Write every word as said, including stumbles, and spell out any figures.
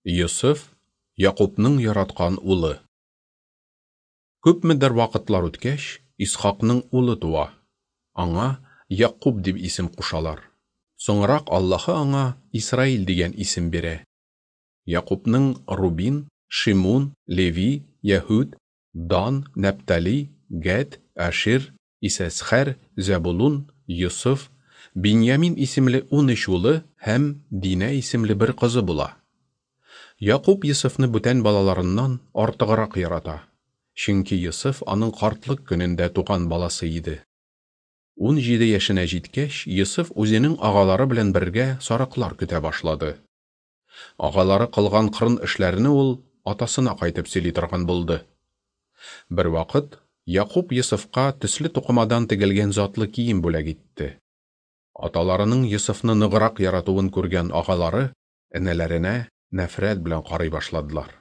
Йосыф, Якубның яраткан улы. Күпмедер вакытлар үткәч, Исхакның улы туа. Аңа Якуб дип исем кушалар. Соңрак Аллаһы аңа Исраил дигән исем бирә. Якубның Рубин, Шимун, Леви, Яһүд, Дан, Нәптали, Гәд, Ашир, Исәсхәр, Зәбулун, Йосыф, Биньямин исемле унөч улы һәм Динә исемле бер кызы була. Якуб Йосыфны бүтән балаларыннан артыграк ярата, чөнки Йосыф аның картлык көнендә туган баласы иде. Унҗиде яшенә җиткәч, Йосыф үзенең агалары белән бергә сарыклар көтә башлады. Агалары кылган кырын эшләрне ул атасына кайтып сөйли торган булды. Бервакыт Якуб Йосыфка төсле тукымадан тегелгән затлы кием бүләк итте. Аталарының Йосыфны ныграк яратуын күргән агалары энеләренә нәфрәт белән карый башладылар.